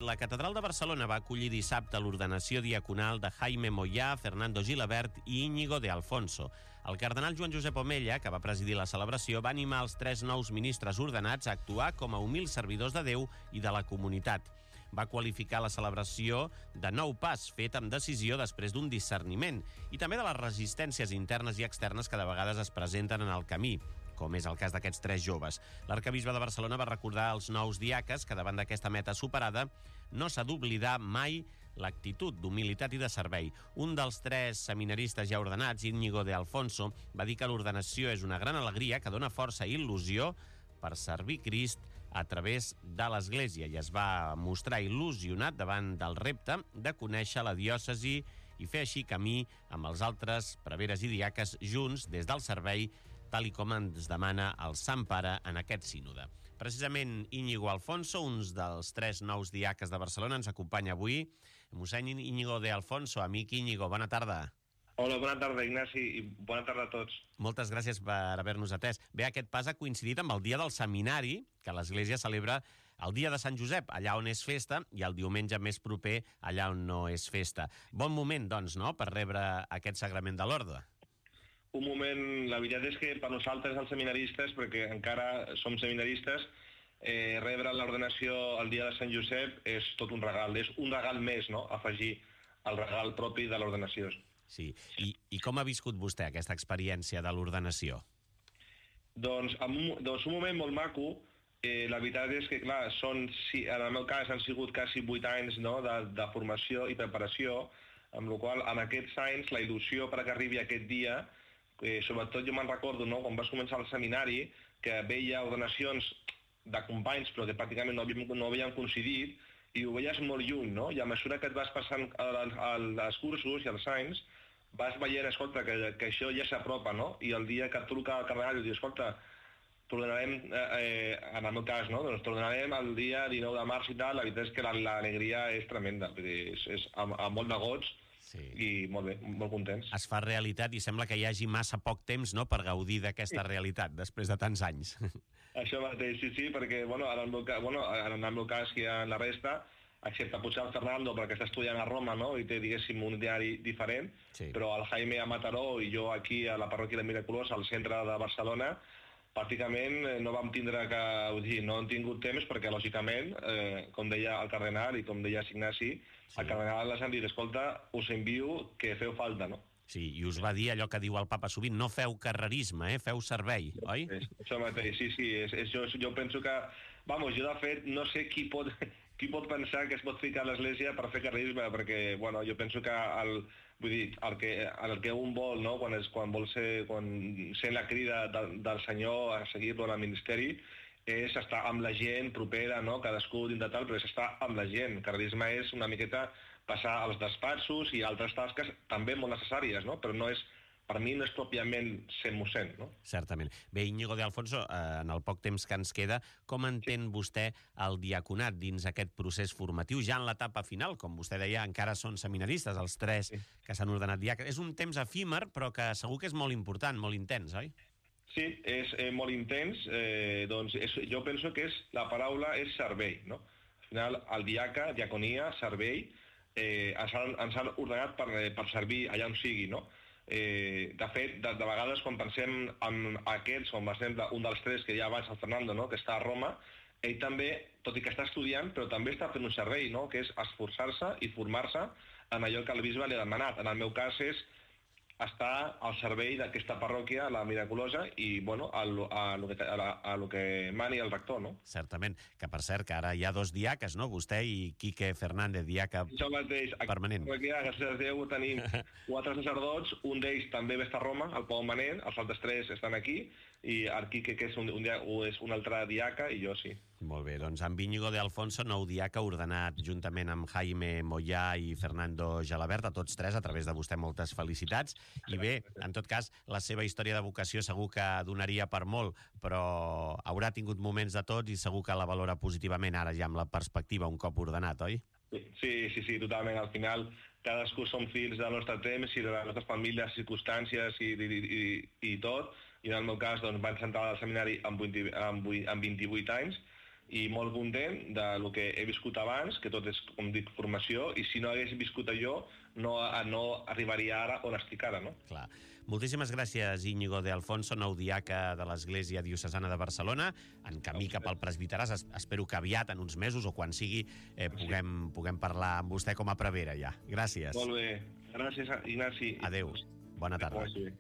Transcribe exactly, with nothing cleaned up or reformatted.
La Catedral de Barcelona va acollir dissabte l'ordenació diaconal de Jaime Moyà, Fernando Gilabert i Íñigo de Alfonso. El cardenal Joan Josep Omella, que va presidir la celebració, va animar els tres nous ministres ordenats a actuar com a humils servidors de Déu i de la comunitat. Va qualificar la celebració de nou pas fet amb decisió després d'un discerniment i també de les resistències internes i externes que de vegades es presenten en el camí, com és el cas d'aquests tres joves. L'arcabisbe de Barcelona va recordar als nous diaques que davant d'aquesta meta superada no s'ha d'oblidar mai l'actitud d'humilitat i de servei. Un dels tres seminaristes ja ordenats, Íñigo de Alfonso, va dir que l'ordenació és una gran alegria que dona força i il·lusió per servir Crist a través de l'Església i es va mostrar il·lusionat davant del repte de conèixer la diòcesi i fer així camí amb els altres preveres i diaques junts des del servei, tal i com ens demana el Sant Pare en aquest sínode. Precisament Íñigo Alfonso, un dels tres nous diaques de Barcelona, ens acompanya avui. Mossèn Íñigo de Alfonso, amic Íñigo, bona tarda. Hola, bona tarda, Ignasi, i bona tarda a tots. Moltes gràcies per haver-nos atès. Bé, aquest pas ha coincidit amb el dia del seminari, que l'Església celebra el dia de Sant Josep, allà on és festa, i el diumenge més proper, allà on no és festa. Bon moment, doncs, no?, per rebre aquest sagrament de l'orde. Un moment, la veritat és que per nosaltres, els seminaristes, perquè encara som seminaristes, eh, rebre l'ordenació el dia de Sant Josep és tot un regal, és un regal més, no?, afegir el regal propi de l'ordenació. Sí. I, I com ha viscut vostè aquesta experiència de l'ordenació? Doncs, en un, doncs un moment molt maco. Eh, la veritat és que, clar, són, si, en el meu cas han sigut quasi vuit anys, no?, de, de formació i preparació, amb la qual en aquests anys la il·lusió perquè arribi aquest dia, eh, sobretot jo me'n recordo, no?, quan vas començar el seminari, que veia ordenacions de companys però que pràcticament no havíem, no havíem coincidit, i ho veies molt lluny, no? I a mesura que et vas passant als cursos i als anys, vas veient, escolta, que, que això ja s'apropa, no? I el dia que et truca el cardenal i diu, escolta, t'ordenarem, eh, en el meu cas, no? Doncs t'ordenarem el dia dinou de març i tal, la veritat és que l'alegria és tremenda, és, és amb, amb molt de goig, sí. I molt bé, molt contents. Es fa realitat i sembla que hi hagi massa poc temps, no?, per gaudir d'aquesta sí. realitat, després de tants anys. Això mateix, sí, sí, perquè, bueno, en el meu cas, bueno, en el meu cas que en la resta, excepte potser el Fernando, perquè està estudiant a Roma, no?, i té, diguéssim, un diari diferent, sí. Però el Jaime a Mataró i jo aquí a la parròquia de Miraculós, al centre de Barcelona, pràcticament no vam tindre que... Vull dir, no hem tingut temps perquè, lògicament, eh, com deia el cardenal i com deia Ignasi, sí. El cardenal les han dit, escolta, us envio que feu falta, no? Sí, i us va dir allò que diu el papa sovint, no feu carrerisme, eh? Feu servei, oi? És, això mateix, sí, sí. És, és, jo, jo penso que... Vamos, jo de fet no sé qui pot, qui pot pensar que es pot ficar a l'Església per fer carrerisme, perquè, bueno, jo penso que el, vull dir, el que, el que un vol, no?, quan, és, quan vol ser, quan sent la crida del, del Senyor a seguir-lo en el ministeri, és estar amb la gent propera, no?, cadascú dins de tal, però és estar amb la gent. Carrerisme és una miqueta passar als despatxos i altres tasques també molt necessàries, no?, però no és, per mi no és pròpiament ser mossèn, no? Certament. Bé, Íñigo de Alfonso, eh, en el poc temps que ens queda, com entén sí. vostè el diaconat dins aquest procés formatiu, ja en l'etapa final? Com vostè deia, encara són seminaristes, els tres sí. que s'han ordenat diaques. És un temps efímer, però que segur que és molt important, molt intens, oi? Sí, és eh, molt intens. Eh, doncs és, jo penso que és, la paraula és servei, no? Al final, el diaca, diaconia, servei, eh, ens, han, ens han ordenat per, per servir allà on sigui, no? Eh, de fet, de, de vegades quan pensem en aquests, com per exemple un dels tres que ja abans, el Fernando, no?, que està a Roma, ell també, tot i que està estudiant, però també està fent un servei, no?, que és esforçar-se i formar-se en allò que el bisbe li ha demanat. En el meu cas és està al servei d'aquesta parròquia, la Miraculosa, i, bueno, a lo, a lo, que, a la, a lo que mani el rector, no? Certament, que per cert, que ara hi ha dos diaques, no?, vostè i Quique Fernández, diaca Això mateix, permanent. Aquí, gràcies a Déu, tenim quatre sacerdots, un d'ells també ve a Roma, al Pau Manent, els altres tres estan aquí, i el Quique, que és un, un, és un altre diaca, i jo sí. Molt bé, doncs amb Íñigo de Alfonso, nou diaca, ordenat juntament amb Jaime Moyà i Fernando Gilabert, a tots tres, a través de vostè, moltes felicitats. I bé, en tot cas, la seva història de vocació segur que donaria per molt, però haurà tingut moments de tots i segur que la valora positivament ara ja amb la perspectiva un cop ordenat, oi? Sí, sí, sí, totalment. Al final, cadascú som fills del nostre temps i de les nostres famílies, circumstàncies i, i, i, i tot. I en el meu cas, doncs, vaig entrar al seminari amb, vint, amb, amb vint-i-vuit anys, i molt content del que he viscut abans, que tot és, com dic, formació, i si no hagués viscut allò, no, no arribaria ara on estic ara, no? Clar. Moltíssimes gràcies, Íñigo de Alfonso, nou diaca de l'Església Diocesana de Barcelona, en camí cap al presbiteràs. Espero que aviat, en uns mesos o quan sigui, eh, puguem, puguem parlar amb vostè com a prevere ja. Gràcies. Molt bé. Gràcies, Ignasi. Adéu. Bona tarda. Gràcies.